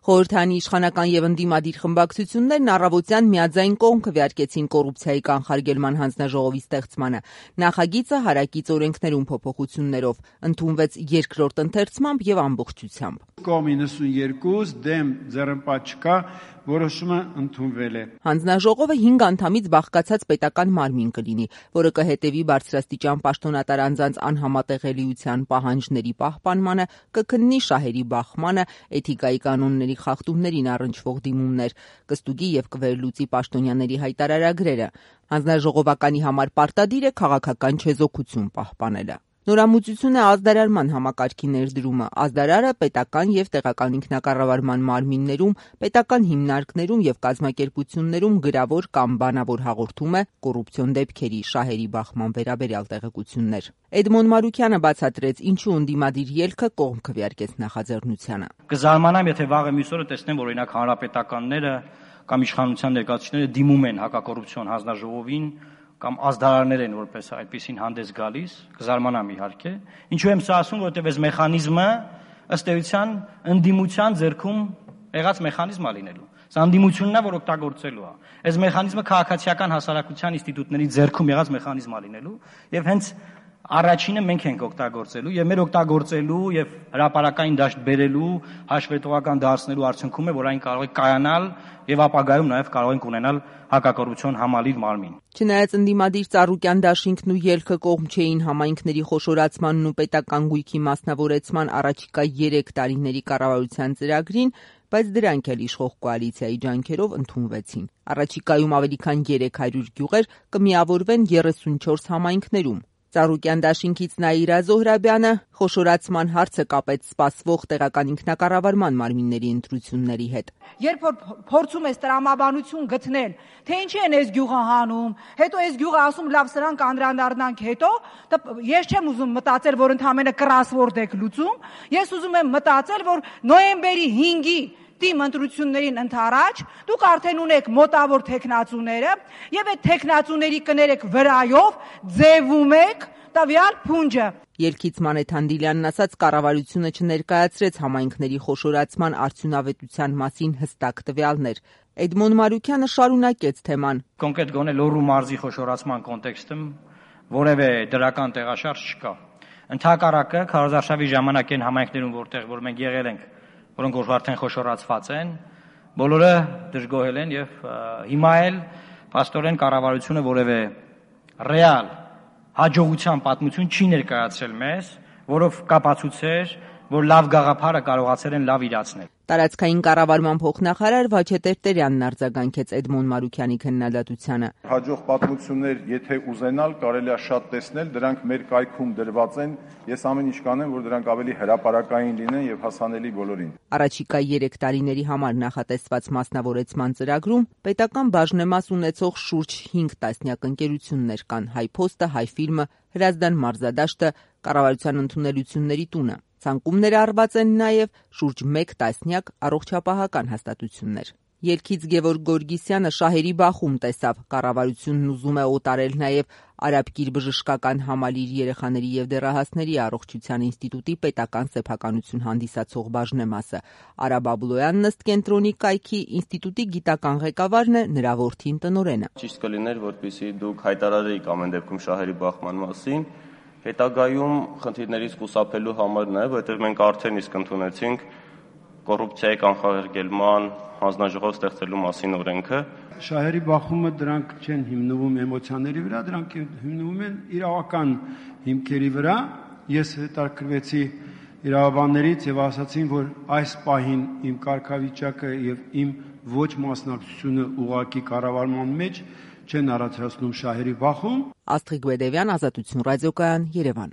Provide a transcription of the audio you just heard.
Խորհրդանի իշխանական եւ ընդդիմադիր խմբակցություններն առավոտյան միաձայն կողմ քվեարկեցին կոռուպցիայի կանխարգելման հանձնաժողովի ստեղծմանը։ Նախագիծը հարակից օրենքներում փոփոխություններով ընդունվեց երկրորդ ընթերցմամբ եւ ամբողջությամբ։ Կողմ 92 դեմ ձեռնպատ չկա, որոշումը ընդունվել է։ Հանձնաժողովը 5 անդամից բաղկացած պետական մարմին կլինի, որը կհետևի բարձրաստիճան պաշտոնատար անձանց անհամատեղելիության պահանջների պահպանմանը, կքննի շահերի բախմանը, էթիկայի կանոնների խախտումներին առնչվող դիմումներ, կստուգի եւ կվերլուծի պաշտոնյաների հայտարարագրերը։ Հանձնաժողովականի համար պարտադիր է քաղաքական չեզոքություն պահպանելը։ Նորամուծություն է ազդարարման համակարգի ներդրումը։ Ազդարարը պետական եւ տեղական ինքնակառավարման մարմիններում, պետական հիմնարկներում եւ կազմակերպություններում գրավոր կամ բանավոր հաղորդում է կոռուպցիոն դեպքերի, շահերի բախման վերաբերյալ տեղեկություններ։ Էդմոն Մարուկյանը բացատրեց, ինչու ընդդիմադիր ելքը կողմ քվեարկեց նախաձեռնությանը։ Կզարմանամ, եթե վաղը մյուս օրը տեսնեմ, որ օրինակ հանրապետականները կամ իշխանության ներկայացուցիչները դիմում են հակակոռուպցիոն հանձնաժողովին կամ ազդարարներ են որպես այդպեսին հանդես գալիս, կզարմանամ իհարկե։ Ինչու եմ սա ասում, որովհետև այս մեխանիզմը ըստ էության ընդդիմության ձեռքում եղած մեխանիզմ է լինելու։ Սա ընդդիմությունն է, որ օգտագործելու է։ Այս մեխանիզմը քաղաքացիական հասարակության ինստիտուտների ձեռքում եղած մեխանիզմ է լինելու եւ հենց առաջինը մենք ենք օգտագործելու եւ մեր օգտագործելու եւ հրապարակային դաշտ բերելու հաշվետվական դարձնելու արդյունքում է, որ այն կարող է կայանալ եւ ապագայում նաեւ կարող ենք ունենալ հակակոռուպցիոն համալիր մարմին։ Չնայած ընդդիմադիր Ծառուկյան դաշինքն ու ելքը կողմ չէին համայնքների խոշորացմանն ու պետական գույքի մասնավորեցման առաջիկա 3 տարիների կառավարության ծրագրին, բայց դրանք էլ իշխող կոալիցիայի ջանքերով ընդունվեցին։ Առաջիկայում ավելի քան 300 գյուղեր կմիավորվեն 34 համայնքներում։ Ծառուկյան դաշինքից Նաիրա Զոհրաբյանը խոշորացման հարցը կապեց սպասվող տեղական ինքնակառավարման մարմինների ընտրությունների հետ։ Երբ որ փորձում ես տրամաբանություն գտնել, թե ինչի են այս գյուղը հանում, հետո այս գյուղը ասում լավ սրանք անդրադառնանք հետո, ես չեմ ուզում մտածել, որ ընդհանրապես կրասվորդ եք լուծում, ես ուզում եմ մտածել, որ նոյեմբերի 5-ի թիմ ընտրություններին ընդառաջ դուք արդեն ունեք մոտավոր տեխնացուները եւ այդ տեխնացուների կներեք վրայով ձևում եք տվյալ փունջը։ Ելքից Մանեթ Հանդիլյանն ասաց, կառավարությունը չներկայացրեց համայնքների խոշորացման արդյունավետության մասին հստակ տվյալներ։ Էդմոն Մարուկյանը շարունակեց թեման։ Կոնկրետ գոնե Լոռու մարզի խոշորացման կոնտեքստում որևէ դրական տեղաշարժ չկա։ Ընդհակառակը քարոզարշավի ժամանակ այն համայնքներում, որ մենք եղել ենք, որոնք որ արդեն խոշորացված են, բոլորը դժգոհել են եւ հիմա էլ փաստորեն կառավարությունը որևէ ռեալ հաջողության պատմություն չի ներկայացրել մեզ, որով կապացուցեր, որ լավ գաղափարը կարողացել են լավ իրացնել։ Տարածքային կառավարման փոխնախարար Վաչե Տերտերյանն արձագանքեց Էդմոն Մարուկյանի քննադատությանը։ Հաջող պատմություններ, եթե ուզենալ, կարելի է շատ տեսնել, դրանք մեր կայքում դրված են։ Ես ամեն ինչ կանեմ, որ դրանք ավելի հրապարակային լինեն եւ հասանելի բոլորին։ Առաջիկա 3 տարիների համար նախատեսված մասնավորեցման ծրագրում պետական բաժնեմաս ունեցող շուրջ 5 տասնյակ ընկերություններ կան՝ Հայփոստը, Հայֆիլմը, Հրազդան մարզադաշտը, կառավարության ընդունելությունների տունը։ Ցանկումներ արված են նաև շուրջ 1 տասնյակ առողջապահական հաստատություններ։ Ելքից Գևորգ Գորգիսյանը շահերի բախում տեսավ, կառավարությունն ուզում է օտարել նաև Արաբկիր բժշկական համալիր երեխաների եւ դեռահասների առողջության ինստիտուտի պետական սեփականություն հանդիսացող բաժնեմասը։ Արա Բաբլոյանն ըստ կենտրոնի կայքի ինստիտուտի գիտական ղեկավարն է, նրա որդին տնօրենը։ Ճիշտ կլիներ, որպեսզի դուք հայտարարեիք ամեն դեպքում շահերի բախման մասին, հետագայում խնդիրներից խուսափելու համար նաև, որովհետև մենք արդեն իսկ ընդունեցինք կոռուպցիայի կանխարգելման հանձնաժողով ստեղծելու մասին օրենքը։ Շահերի բախումը դրանք չեն հիմնվում էմոցիաների վրա, դրանք հիմնվում են իրավական հիմքերի վրա։ Ես հետաքրքրվեցի իրավաբաններից եւ ասացին, որ այս պահին իմ կարգավիճակը եւ իմ ոչ մասնակցությունը ուղղակի կառավարման մեջ չեն առաջացնում շահերի բախում։ Աստղիկ Բեդևյան, Ազատություն ռադիոկայան, Երևան։